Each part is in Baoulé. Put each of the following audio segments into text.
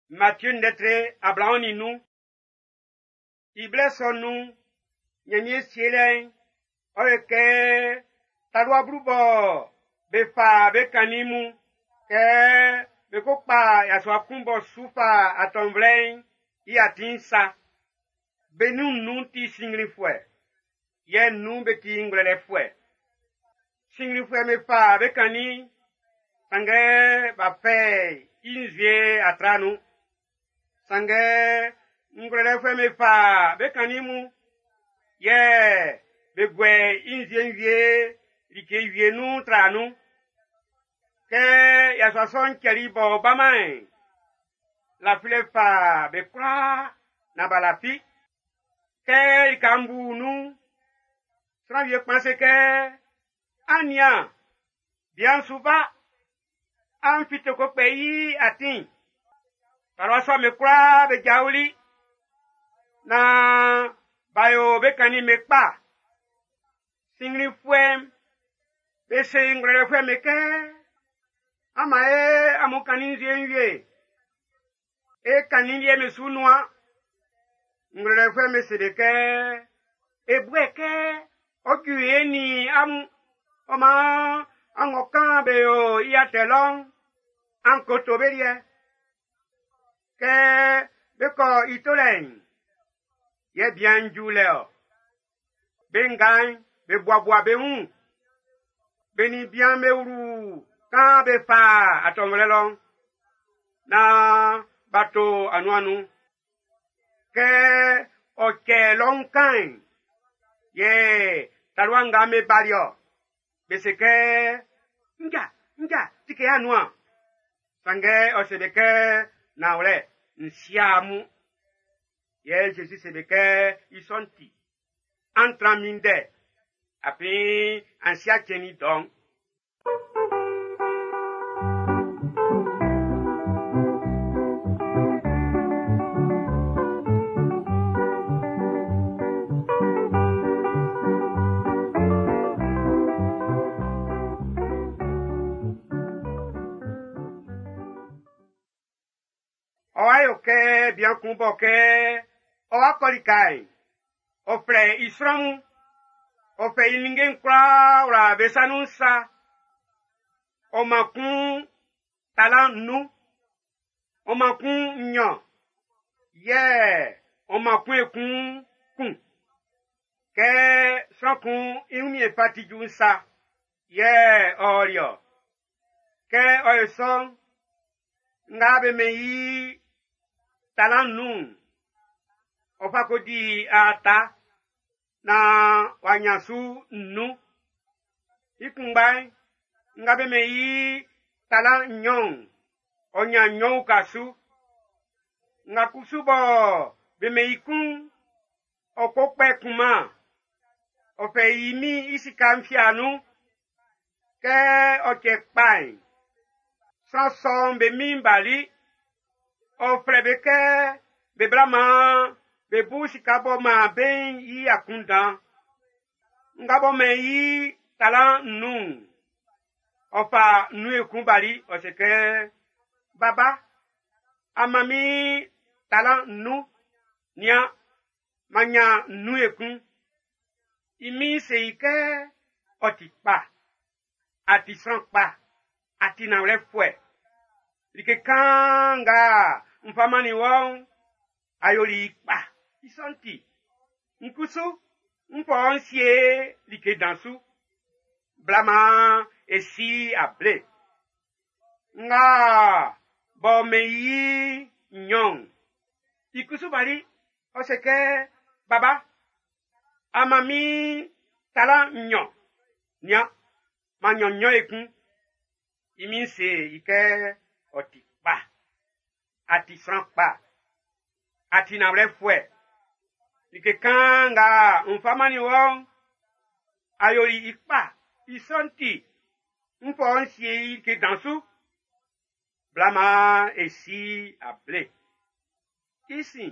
Matthieu ndɛtre 25. I blɛ sɔ nun'n, Ɲanmiɛn sielɛ'n, ɔ yo kɛ talua 10 bɔ be fa be kannin mun kɛ be ko kpa yasua kun b'ɔ su fa atɔnvlɛ'n i atin'n sa. Be nun nnun ti sinnglinfuɛ, yɛ nnun be ti ngwlɛlɛfuɛ. Sinnglinfuɛ'm be fa be kannin'n, sanngɛ b'a fɛ i nzue a tra nun. Sanngɛ ngwlɛlɛfuɛ'm be fa be kannin mun, yɛ be guɛ i nzue'n wie like wie nun tra nun. Kɛ yasua sɔ'n cɛli b'ɔ baman'n, lafilɛ fa be kwlaa nan b'a lafi. Kɛ lika'n bu nun'n, sran wie kpan se kɛ, “An nian, bian'n su ba! An fite ko kpɛ i atin!” Talua sɔ'm be kwlaa be jaoli naan b'a yo be kannin'm be kpa. Sinnglinfuɛ'm be se ngwlɛlɛfuɛ'm be kɛ, “An man e amun kannin nzue'n wie. E kannin liɛ'n be su nuan.” Ngwlɛlɛfuɛ'm be se be kɛ, “E bu i kɛ ɔ ju e nin amun, ɔ maan an ng'ɔ kan be o i atɛ lɔ'n, an ko to be liɛ.” Kɛ be kɔ i tolɛ'n, yɛ bian'n ju lɛ-ɔ. Be nga'n be buabua be wun. Be nin bian'n be wlu kan be fa atɔnvlɛ lɔ'n, naan b'a to anuan'n nun. Kɛ ɔ cɛ lɔun kan'n, yɛ talua nga'm be bali-ɔ. Be se kɛ, “Nja, nja, tike anuan!” Sanngɛ ɔ se be kɛ, “Nanwlɛ, n si'a amun.” Yɛ Zezi se be kɛ, “I sɔ'n ti, an tran minndɛ, afin an si'a cɛn'n i dɔ'n.” Ɔ wa yo kɛ bian kun bɔ kɛ ɔ wa kɔ lika'n, ɔ flɛ i sran mun, ɔ fɛ i ninnge'n kwlaa wla be sa nun sa. Ɔ man kun talan nnun, ɔ man kun nnyɔn, yɛ ɔ man kun ekun kun. Kɛ sran kun i wunmiɛn fa ti ju'n sa, yɛ ɔ ɔli-ɔ. Kɛ ɔ yo sɔ'n, nga be mɛn i talan nnun'n, ɔ fa ko di aata naan w'a ɲan su nnun. I kunngba'n, nga be mɛn i talan nnyɔn'n, ɔ ɲan nnyɔn uka su. Nga kusu bɔ be mɛn i kun'n, ɔ ko kpɛ kunman, ɔ fɛ i min'n i sika'n fia nun. Kɛ ɔ cɛ kpa'n, sran sɔ'm be min'n bali. Ɔ flɛ be kɛ be bla maan be bu sika b'ɔ man be'n i akunndan. Nga b'ɔ mɛn i talan nnun'n, ɔ fa nnun ekun bali, ɔ se kɛ, “Baba, a man min talan nnun. Nian, m'an nyan nnun ekun.” I min'n se i kɛ, “Ɔ ti kpa, a ti sran kpa, a ti nanwlɛfuɛ. Like kaan nga n fa mannin wɔ'n, a yoli i kpa. I sɔ'n ti, n kusu n fa ɔ n sie like dan su. Bla maan e si able.” Nga b'ɔ mɛn i nnyɔn'n, i kusu bali, ɔ se kɛ, “Baba, a man min talan nnyɔn. Nian, m'an nyan nnyɔn ekun.” I min'n se i kɛ, “Ɔ ti kpa, a ti sran kpa, a ti nanwlɛfuɛ. Like kaan nga n fa mannin wɔ'n, a yoli i kpa. I sɔ'n ti, n fa ɔ n sie i like dan su. Bla maan e si able.” I sin,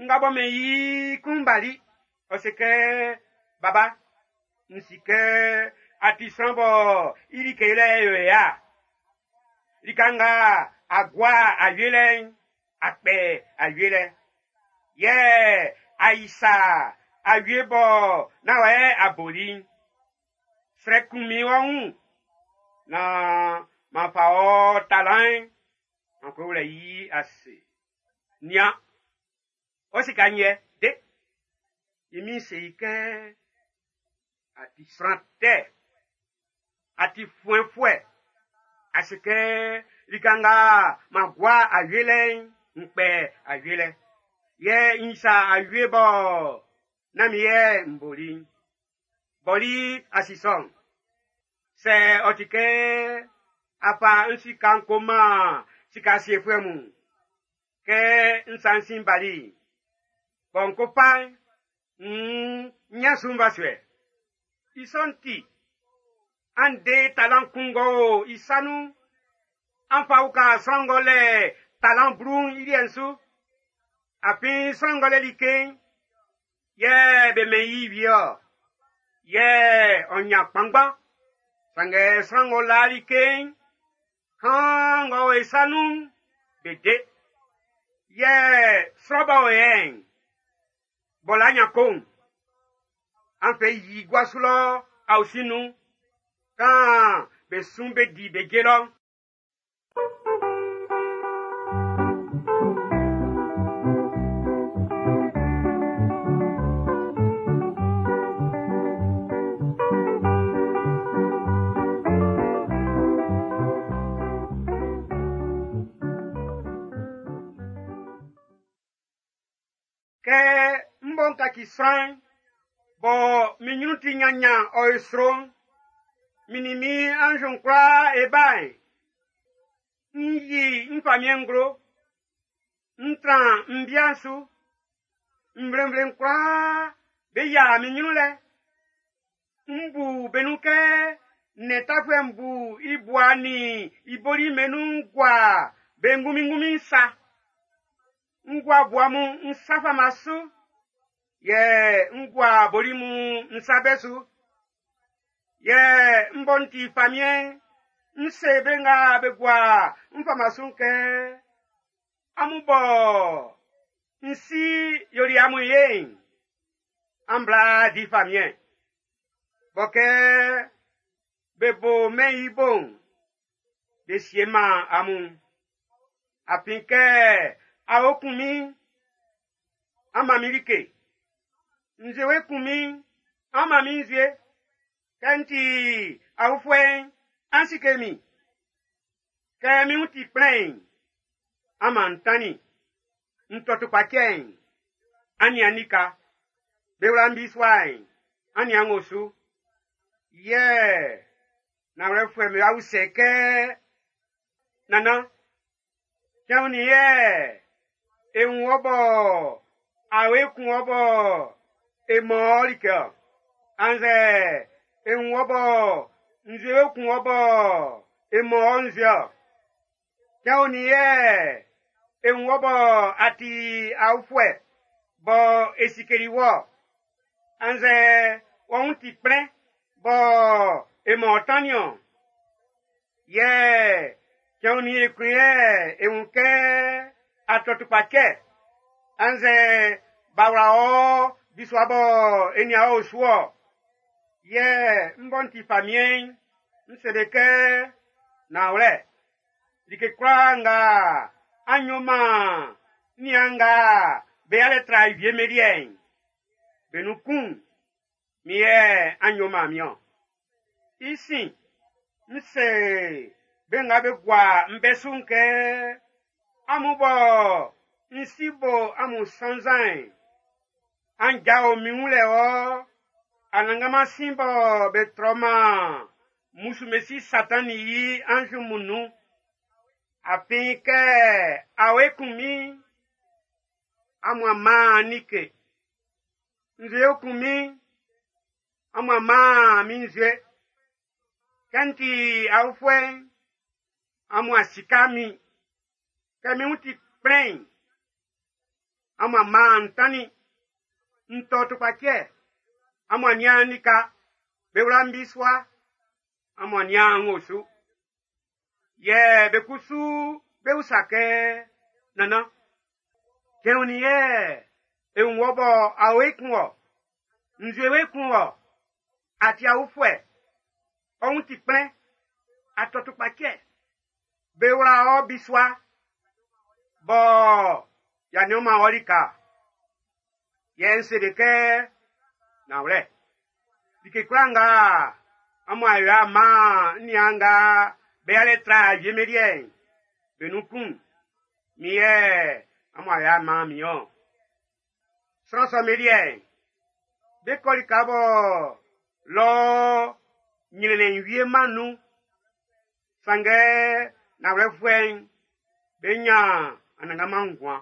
nga b'ɔ mɛn i kun'n bali, ɔ se kɛ, “Baba, n si kɛ a ti sran bɔ i like yolɛ yo ya. Lika nga a gua awie lɛ'n, a kpɛ awie lɛ. Yɛ a isa awie bɔ nán wɔ yɛ a boli'n. Srɛ kun min ɔ wun naan m'an fa ɔ talan'n m'an ko wlɛ i ase. Nian, ɔ sika'n yɛ, de. I min'n se i kɛ, a ti sran tɛ, a ti fuɛnfuɛ. A si kɛ lika nga m'an gua awie lɛ'n, n kpɛ awie lɛ. Yɛ n isa awie bɔ nán min yɛ n boli'n. Bɔli a si sɔ'n. Sɛ ɔ ti kɛ a fa n sika'n ko man sika siefuɛ mun, kɛ n sa n sin bali'n, bɔ n ko fa'n, nn n ɲan su nvasuɛ. I sɔ'n ti, an de talan kun ng'ɔ o i sa nun'n, an fa uka sran ng'ɔ lɛ talan 10'n i liɛ'n su. Afin sran ng'ɔ lɛ like'n, yɛ be mɛn i wie-ɔ. Yɛ ɔ ɲan kpanngban. Sanngɛ sran ng'ɔ la like'n, kan ng'ɔ o i sa nun'n, be de. Yɛ sran b'ɔ o yɛ'n, b'ɔ la nyan ko'n, an fɛ i yi gua su lɔ aosin nun, kan be sun be di be je lɔ. Kɛ m bɔ n kaci sran'n, bɔ min nyrun ti nyanyan ɔ e sro'n, min nin min anz'n kwlaa e ba'n, n yi n famiɛn nglo, n tran m bia'n su, nvle-nvle'n kwlaa be yia min nyrun lɛ. M bu be nun kɛ nnɛn tafuɛ'n bu i bua nin i boli'm be nun gua be ngunmin-ngunmin sa. N gua bua mun n sa fama su, yɛ n gua boli mun n sa bɛ su. Yɛ m bɔ n ti famiɛn'n, n se be nga be gua n fama su'n kɛ, amun bɔ n si yoli amun ye'n, an bla di famiɛn. Bɔ kɛ be bo mɛn i bo'n, be sie man amun. Afin kɛ awe kun min'n, an man min like. Nzuewe kun min'n, an man min nzue. Kɛ n ti aofuɛ'n, an sike min. Kɛ min wun ti kplɛn'n, an man n tannin. N tɔ tukpacɛ'n, an nian lika. Be wla n bisua'n, an nian n osu. Yɛ nanwlɛfuɛ'm be usɛ kɛ, Nannan, cɛn onin yɛ e wun wɔ bɔ awe kun wɔ bɔ e man ɔ like-ɔ? Annzɛ e wun wɔ bɔ nzuewe kun wɔ bɔ e man ɔ nzue-ɔ? Cɛn onin yɛ e wun wɔ bɔ a ti aofuɛ bɔ e sikeli wɔ? Annzɛ wɔ wun ti kplɛn bɔ e man ɔ tannin-ɔn? Yɛ cɛn onin ekun yɛ e wun kɛ a tɔ tukpacɛ annzɛ b'a wla ɔ bisua bɔ e nian ɔ osu-ɔ? Yɛ m bɔ n ti famiɛn'n, n se be kɛ, nanwlɛ, like kwlaa nga an yo man n niaan nga be alɛ tra wie'm be liɛ'n, be nun kun, min yɛ an yo man min-ɔn. I sin, n se be nga be gua n bɛ su'n kɛ, amun bɔ n si bo amun sannzan'n, an jao min wun lɛ wɔ, Anannganman sin bɔ be trɔ-man musumesi Satan nin i anz mun nun. Afin kɛ awe kun min'n, amun a man like. Nzue kun min'n, amun a man min nzue. Kɛ n ti aofuɛ'n, amun a sika min. Kɛ min wun ti kplɛn'n, amun a man n tannin. N tɔ tukpacɛ, amun a nian lika. Be wla n bisua, amun a nian n osu. Yɛ be kusu Be usa kɛ: Nannan, cɛn onin yɛ e wun wɔ bɔ awe kun wɔ, nzue we kun wɔ, a ti aofuɛ, ɔ wun ti kplɛn, a tɔ tukpacɛ, be wla ɔ bisua, bɔ y'a nian-man ɔ lika-a? Yɛ n se be kɛ: Nanwlɛ, like kwlaa nga amun a yo a man n niaan nga be yalɛ tra wie min liɛ'n, be nun kun'n, min yɛ amun a yo a man min-ɔn. Sran sɔ'm be liɛ'n, be kɔ lika bɔ lɔ nyrɛnnɛn'n wie-man nun. Sanngɛ nanwlɛfuɛ'n, be nyan anannganman nguan.